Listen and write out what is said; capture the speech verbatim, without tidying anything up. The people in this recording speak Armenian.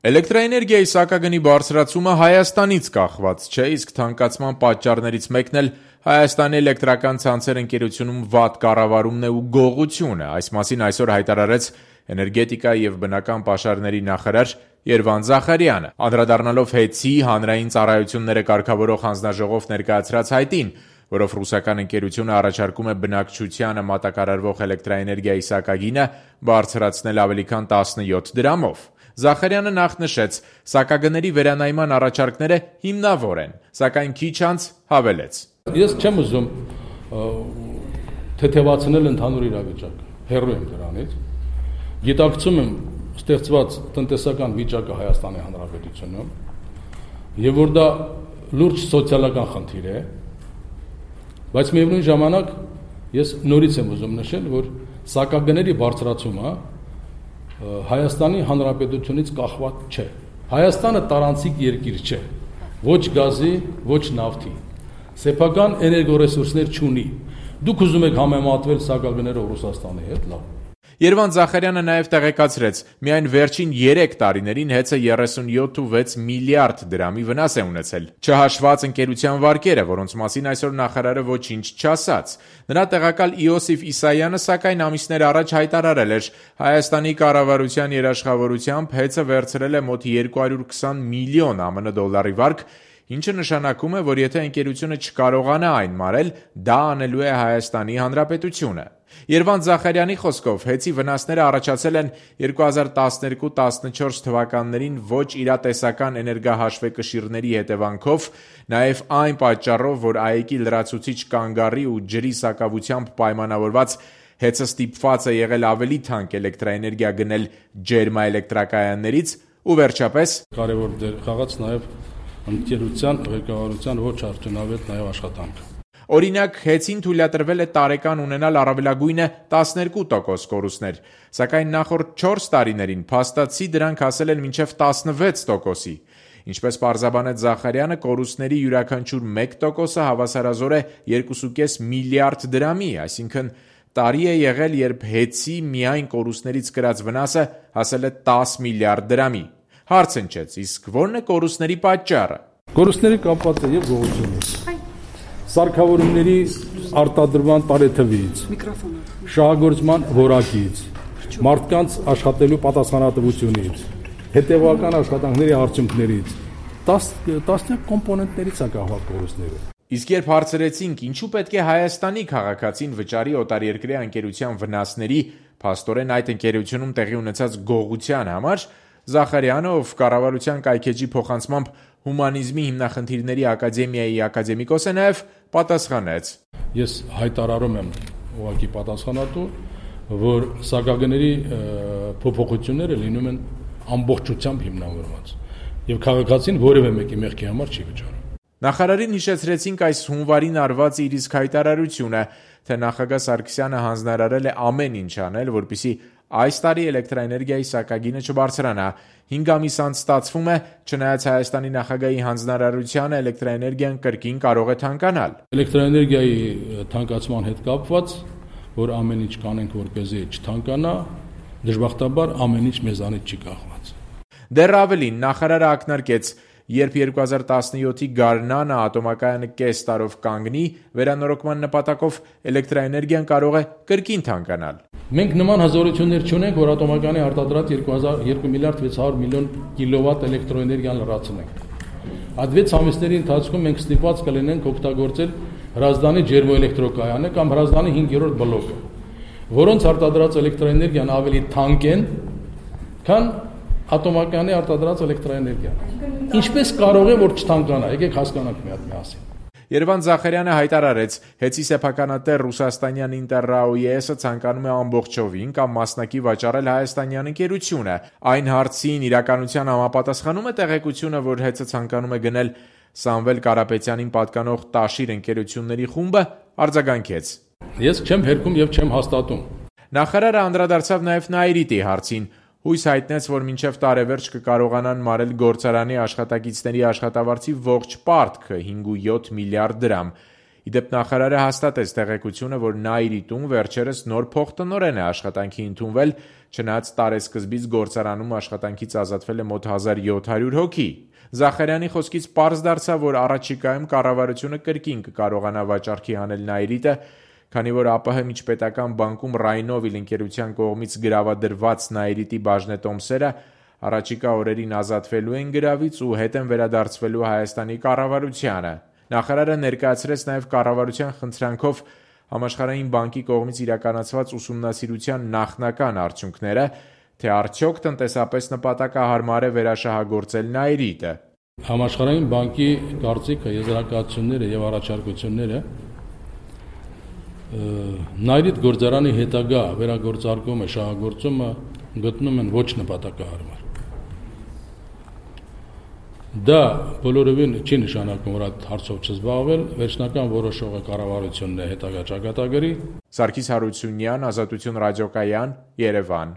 Էլեկտրաէներգիայի սակագնի բարձրացումը Հայաստանից կախված չէ, իսկ թանկացման պատճառներից մեկն էլ Հայաստանի էլեկտրական ցանցեր ընկերությունում վատ կառավարումն է ու գողությունը։ Այս մասին այսօր հայտարարեց էներգետիկա եւ բնական պաշարների նախարար Երվանդ Զախարյանը, անդրադառնալով ՀԵՑ-ի հանրային ծառայությունները կարգավորող հանձնաժողով ներկայացրած հայտին, որով ռուսական ընկերությունը առաջարկում է բնակչությանը մատակարարվող էլեկտրաէներգիայի սակագինը բարձրացնել ավելի քան տասնյոթ դրամով։ Զախարյանը նախ նշեց, սակագների վերանայման առաջարկները հիմնավոր են, սակայն քիչ անց հավելեց. Ես չեմ ուզում թեթևացնել ընդհանուր իրավիճակը, հեռու եմ դրանից։ Գիտակցում եմ ստեղծված տնտեսական վիճակը Հայաստանի Հանրապետությունում եւ որ դա լուրջ սոցիալական խնդիր է, բայց միևնույն ժամանակ ես նորից եմ ուզում նշել, որ սակագների բարձրացումը Հայաստանի Հանրապետությունից կախված չէ։ Հայաստանը տարանցիկ երկիր չէ, ոչ գազի, ոչ նավթի, սեփական էներգորեսուրսներ չունի։ Դուք ուզում եք համեմատվել սակագներով Ռուսաստանի հետ, լավ։ Երվանդ Զախարյանը նաև տեղեկացրեց, միայն վերջին երեք տարիներին ՀԵՑ-ը երեսունյոթ ու վեց միլիարդ դրամի վնաս է ունեցել, չհաշված ընկերության վարկերը, որոնց մասին այսօր նախարարը ոչինչ չասաց։ Նրա տեղակալ Իոսիֆ Իսայանը, սակայն ամիսներ առաջ հայտարարել էր, Հայաստանի կառավարության երաշխավորությամբ ՀԵՑ-ը վերցրել է մոտ երկու հարյուր քսան միլիոն ԱՄՆ դոլարի վարկ, ինչը նշանակում է, որ եթե ընկերությունը չկարողանա այն մարել, դա անելու է Հայաստանի Հանրապետությունը։ Երվանդ Զախարյանի խոսքով ՀԵՑ-ի վնասները առաջացել են երկու հազար տասներկու տասնչորս թվականներին ոչ իրատեսական էներգահաշվեկշիռների հետևանքով, նաև այն պատճառով, որ ԱԷԿ-ի լրացուցիչ կանգառի ու ջրի սակավությամբ պայմանավորված ՀԵՑ-ը ստիպված է եղել ավելի թանկ էլեկտրաէներգիա գնել ջերմաէլեկտրակայաններից ու վերջապես կարևոր դեր խաղաց նաև ընկերության ղեկավարության ոչ արդյունավետ նաև աշխատանքը։ Օրինակ, ՀԵՑ-ին թույլատրվել է տարեկան ունենալ առավելագույնը տասներկու տոկոս կորուստներ, սակայն նախորդ չորս տարիներին փաստացի դրանք հասել են մինչև տասնվեց տոկոսի։ Ինչպես պարզաբանեց Զախարյանը, կորուստների յուրաքանչյուր մեկ տոկոսը հավասարազոր է երկուսուկես միլիարդ դրամի, այսինքն տարի է եղել, երբ ՀԵՑ-ի միայն կորուստներից կրած վնասը հասել է տասը միլիարդ դրամի։ Հարց ընչեց, իսկ ո՞րն է կորուստների պատճառը։ Կորուստների կապված է եւ գողությունից, սարքավորումների արտադրման տարեթվից, շահագործման որակից, մարդկանց աշխատելու պատասխանատվությունից, հետևական աշխատանքների արդյունքներից, տասնյակ կոմպոնենտներից է կախված կորուստները։ Իսկ երբ հարցրեցինք, ինչու պետք է Հայաստանի քաղաքացին վճարի օտարերկրյա ընկերության վնասների, փաստորեն այդ ընկերությունում տեղի ունեցած գողության համար, Զախարյանը, ով կառավարության կայքեջի փոխանցմամբ հումանիզմի հիմնախնդիրների ակադեմիայի ակադեմիկոս է, նաև պատասխանեց. Ես հայտարարում եմ ուղղակի պատասխանատու, որ սակագների փոփոխությունները լինում են ամբողջությամբ հիմնավորված եւ քաղաքացին որևէ մեկի մեղքի համար չի վճարում։ Նախարարին հիշեցրեցինք այս հունվարին արված իր իսկ հայտարարությունը, թե նախագահ Սարգսյանը հանձնարարել է ամեն ինչ անել, որպեսզի այս տարի էլեկտրաէներգիայի սակագինը չբարձրանա։ Հինգ ամիս անց ստացվում է, չնայած Հայաստանի նախագահի հանձնարարությանը, էլեկտրաէներգիան կրկին կարող է թանկանալ։ Էլեկտրաէներգիայի թանկացման հետ կապված, որ ամեն ինչ կանենք, որպեսզի չթանկանա, դժբախտաբար ամեն ինչ մեզանից չի կախված։ Դեռ ավելին, նախարարը ակնարկեց, երբ երկու հազար տասնյոթի գարնանը ատոմակայանը կես տարով կանգնի, վերանորոգման նպատակով էլեկտրաէներգիան կարող է կրկին թանկանալ։ Մենք նման հզորություններ չունենք, որ ատոմակայանի արտադրած երկու միլիարդ վեց հարյուր միլիոն կիլովատ էլեկտրոէներգիան լրացնենք։ Այդ վեց ամիսների ընթացքում մենք ստիպված կլինենք օգտագործել Հրազդանի ջերմոէլեկտրոկայանը կամ Հրազդանի հինգերորդ բլոկը, որոնց արտադրած էլեկտրոէներգիան ավելի թանկ են, քան ատոմակայանի արտադրած էլեկտրոէներգիան։ Ինչպես կարող է որ չթանկանա, եկեք հասկանանք մի հատ միասին։ Երվանդ Զախարյանը հայտարարեց, ՀԵՑ-ի սեփականատեր ռուսաստանյան Ինտերրաոյեսը ցանկանում է ամբողջովին կամ մասնակի վաճառել հայաստանյան ընկերությունը։ Այն հարցին իրականության համապատասխանում է տեղեկությունը, որ ՀԵՑ-ը ցանկանում է գնել Սամվել Կարապետյանին պատկանող Տաշիր ընկերությունների խումբը, արձագանքեց. Ես չեմ հերքում եւ չեմ հաստատում։ Նախարարը անդրադարձավ նաև Նաիրիտի հարցին, հույս հայտնեց, որ մինչև տարեվերջ կկարողանան մարել գործարանի աշխատակիցների աշխատավարձի ողջ պարտքը հինգ ու յոթ միլիարդ դրամ։ Ի դեպ նախարարը հաստատեց տեղեկությունը, որ Նաիրի տուն վերջերս նոր փոխտնօրեն է աշխատանքի ընդունվել, չնայած տարեսկզբից գործարանում աշխատանքից ազատվել է մոտ հազար յոթ հարյուր հոգի։ Զախարյանի խոսքից պարզ դարձավ, որ առաջիկայում կառավարությունը կրկին կկարողանա վաճառքի հանել Նաիրիտը, քանի որ ԱՊՀ միջպետական բանկում Ռայնովիլ ընկերության կողմից գրավադրված Նաիրիտի բաժնետոմսերը առաջիկա օրերին ազատվելու են գրավից ու հետ են վերադարձվելու Հայաստանի կառավարությանը։ Նախարարը ներկայացրեց նաև կառավարության խնդրանքով Համաշխարհային բանկի կողմից իրականացված ուսումնասիրության նախնական արդյունքները, թե արդյոք տնտեսապես նպատակահարմար է վերաշահագործել Նաիրիտը։ Համաշխարհային բանկի կարծիքը, եզրակացությունները եւ առաջարկությունները Նաիրիտ գործարանի հետագա վերագործարկումը, շահագործումը գտնում են ոչ նպատակահարմար։ Դա բոլորովին չի նշանակում, որ այդ հարցով չզբաղվել, վերջնական որոշողը կառավարությունն է հետագա ճակատագրի։ Սարգիս Հարությունյան, Ազատություն ռադիոկայան, Երևան։